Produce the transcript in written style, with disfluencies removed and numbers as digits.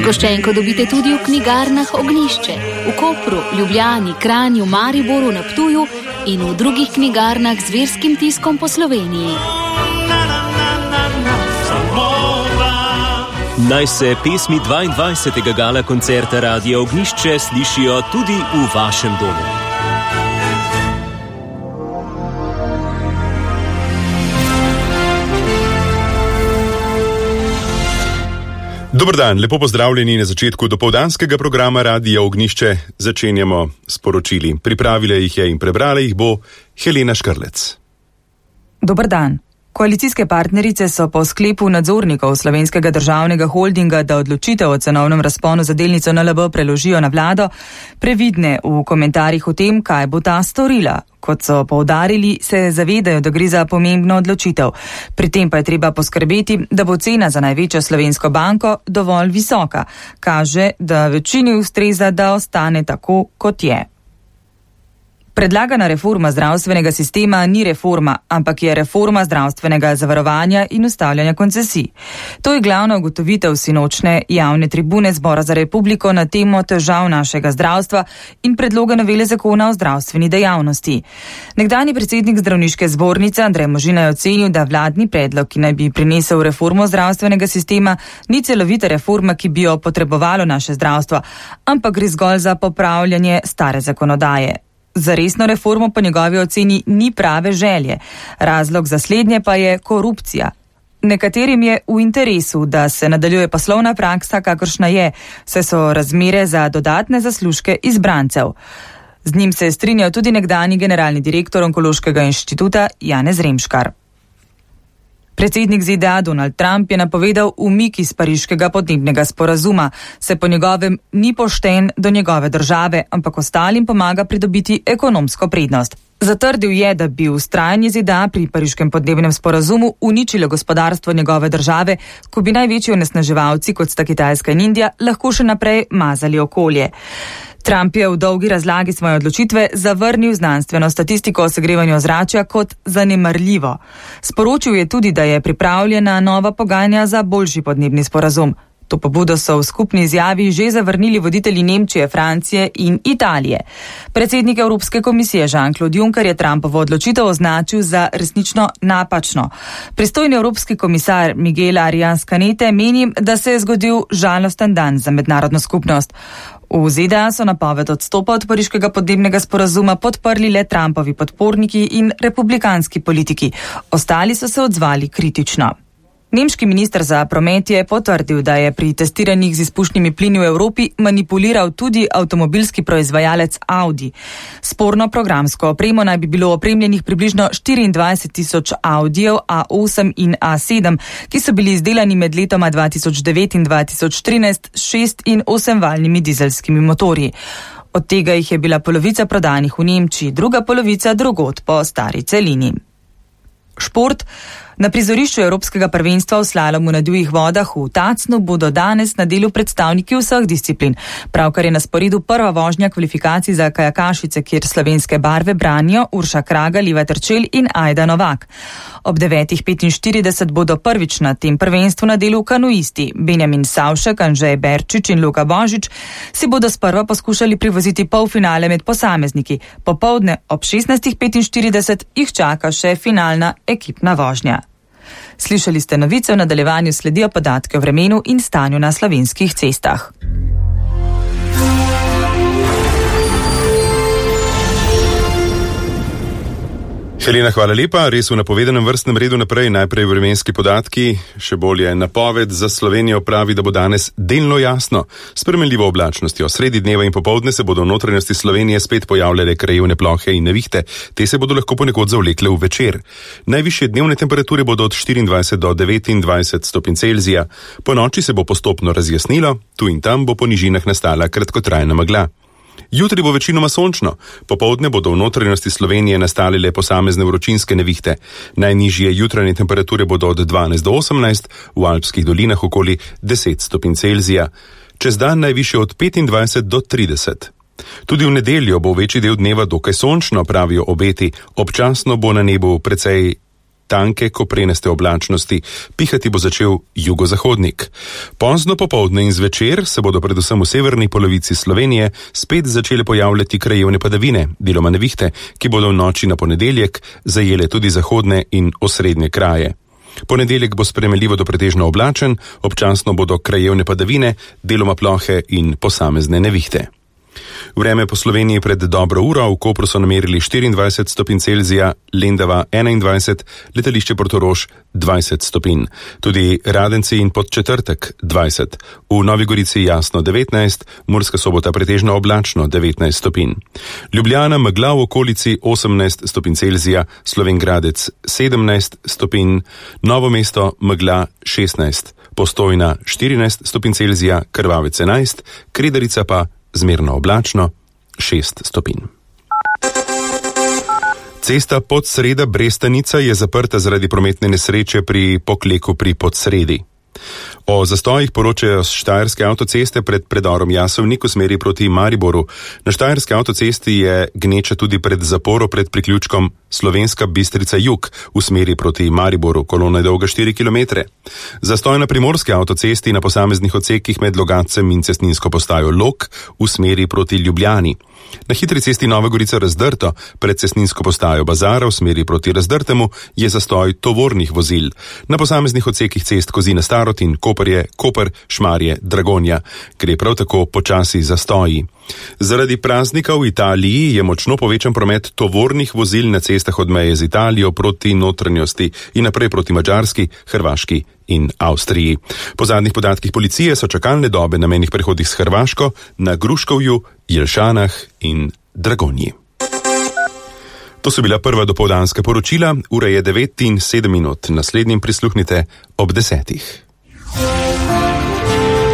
Zgoščenko dobite tudi v knjigarnah Ognjišče, v Kopru, Ljubljani, Kranju, Mariboru, na Ptuju in v drugih knjigarnah z verskim tiskom po Sloveniji. Naj se pesmi 22. gala koncerta Radia Ognjišče slišijo tudi v vašem domu. Dober dan, lepo pozdravljeni na začetku dopoldanskega programa Radia Ognjišče. Začenjamo s poročili. Pripravila jih je in prebrala jih bo Helena Škrlec. Dober dan. Koalicijske partnerice so po sklepu nadzornikov Slovenskega državnega holdinga, da odločitev o cenovnem razponu za delnico NLB preložijo na vlado, previdne v komentarjih o tem, kaj bo ta storila. Kot so poudarili, se zavedajo, da gre za pomembno odločitev. Pri tem pa je treba poskrbeti, da bo cena za največjo slovensko banko dovolj visoka. Kaže, da večini ustreza, da ostane tako, kot je. Predlagana reforma zdravstvenega sistema ni reforma, ampak je reforma zdravstvenega zavarovanja in ustavljanja koncesij. To je glavna ugotovitev sinočne javne tribune Zbora za republiko na temo težav našega zdravstva in predloga novele zakona o zdravstveni dejavnosti. Nekdanji predsednik zdravniške zbornice Andrej Možina je ocenil, da vladni predlog, ki naj bi prinesel reformo zdravstvenega sistema, ni celovita reforma, ki bi jo potrebovalo naše zdravstvo, ampak gre zgolj za popravljanje stare zakonodaje. Za resno reformo po njegovi oceni ni prave želje. Razlog za slednje pa je korupcija. Nekaterim je v interesu, da se nadaljuje poslovna praksa, kakršna je, saj so razmere za dodatne zaslužke izbrancev. Z njim se je strinjal tudi nekdanji generalni direktor Onkološkega inštituta Janez Remškar. Predsednik ZDA Donald Trump je napovedal umik iz pariškega podnebnega sporazuma, se po njegovem ni pošten do njegove države, ampak ostalim pomaga pridobiti ekonomsko prednost. Zatrdil je, da bi vztrajanje ZDA pri pariškem podnebnem sporazumu uničilo gospodarstvo njegove države, ko bi največji onesnaževalci, kot sta Kitajska in Indija, lahko še naprej mazali okolje. Trump je v dolgi razlagi svoje odločitve zavrnil znanstveno statistiko o segrevanju ozračja kot zanemarljivo. Sporočil je tudi, da je pripravljena nova pogajanja za boljši podnebni sporazum. To pobudo so v skupni izjavi že zavrnili voditelji Nemčije, Francije in Italije. Predsednik Evropske komisije Jean-Claude Juncker je Trumpovo odločitev označil za resnično napačno. Pristojni evropski komisar Miguel Arias Canete meni, da se je zgodil žalosten dan za mednarodno skupnost. V ZDA so napoved odstopa od pariškega podnebnega sporazuma podprli le Trumpovi podporniki in republikanski politiki. Ostali so se odzvali kritično. Nemški minister za promet je potrdil, da je pri testiranjih z izpušnimi plini v Evropi manipuliral tudi avtomobilski proizvajalec Audi. Sporno programsko opremo naj bi bilo opremljenih približno 24,000 Audijev A8 in A7, ki so bili izdelani med letoma 2009 in 2013 s 6- in 8-valjnimi dizelskimi motorji. Od tega jih je bila polovica prodanih v Nemčiji, druga polovica drugod po stari celini. Šport. Na prizorišču Evropskega prvenstva v slalomu na divjih vodah v Tacnu bodo danes na delu predstavniki vseh disciplin. Pravkar je na sporedu prva vožnja kvalifikacij za kajakašice, kjer slovenske barve branijo Urša Kragelj, Iva Terčelj in Ajda Novak. Ob 9:45 bodo prvič na tem prvenstvu na delu kanuisti. Benjamin Savšek, Anžej Berčič in Luka Božič si bodo sprva poskušali privoziti polfinale med posamezniki. Popoldne ob 16:45 jih čaka še finalna ekipna vožnja. Slišali ste novice, v nadaljevanju sledijo podatke o vremenu in stanju na slovenskih cestah. Helena, hvala lepa. Res v napovedanem vrstnem redu naprej. Najprej vremenski podatki, še bolje napoved za Slovenijo pravi, da bo danes delno jasno. S spremenljivo oblačnostjo. Sredi dneva in popoldne se bodo v notranjosti Slovenije spet pojavljale krajevne plohe in nevihte. Te se bodo lahko ponekod zavlekle v večer. Najvišje dnevne temperature bodo od 24 do 29 stopinj Celzija. Po noči se bo postopno razjasnilo, tu in tam bo po nižinah nastala kratkotrajna megla. Jutri bo večinoma sončno, popoldne bodo v notranjosti Slovenije nastale le posamezne vročinske nevihte. Najnižje jutranje temperature bodo od 12 do 18, v alpskih dolinah okoli 10 stopinj Celzija. Čez dan najvišje od 25 do 30. Tudi v nedeljo bo večji del dneva dokaj sončno, pravijo obeti. Občasno bo na nebu precej tanke koprenaste oblačnosti, pihati bo začel jugozahodnik. Pozno popoldne in zvečer se bodo predvsem v severni polovici Slovenije spet začele pojavljati krajevne padavine, deloma nevihte, ki bodo v noči na ponedeljek zajele tudi zahodne in osrednje kraje. Ponedeljek bo spremenljivo do pretežno oblačen, občasno bodo krajevne padavine, deloma plohe in posamezne nevihte. Vreme po Sloveniji pred dobro uro, v Kopru so namerili 24 stopinj Celzija, Lendava 21, letališče Portorož 20 stopinj. Tudi Radenci in Podčetrtek 20, v Novi Gorici jasno 19, Murska Sobota pretežno oblačno 19 stopinj. Ljubljana megla v okolici 18 stopinj Celzija, Slovenj Gradec 17 stopinj, Novo mesto megla 16, Postojna 14 stopinj Celzija, Krvavec 11, Kredarica pa zmerno oblačno 6 stopinj. Cesta Podsreda-Brestanica je zaprta zaradi prometne nesreče pri Pokleku pri Podsredi. O zastojih poročajo s štajerske avtoceste pred predorom Jasovnik v smeri proti Mariboru. Na štajerske avtocesti je gneča tudi pred zaporo pred priključkom Slovenska Bistrica Jug v smeri proti Mariboru, kolona je dolga 4 km. Zastoj na primorske avtocesti na posameznih odsekih med Logatcem in cestninsko postajo Log v smeri proti Ljubljani. Na hitri cesti Nova Gorica Razdrto pred cestninsko postajo Bazara v smeri proti Razdrtemu je zastoj tovornih vozil. Na posameznih odsekih cest Kozina Starot in Koper, Šmarje, Dragonja, gre prav tako počasi zastoji. Zaradi praznika v Italiji je močno povečan promet tovornih vozil na cestah od meje z Italijo proti notranjosti in naprej proti Madžarski, Hrvaški in Avstriji. Po zadnjih podatkih policije so čakalne dobe na mejnih prehodih s Hrvaško na Gruškovju, Jelšanah in Dragonji. To so bila prva dopoldanska poročila, ura je 9:07, naslednjim prisluhnite ob 10.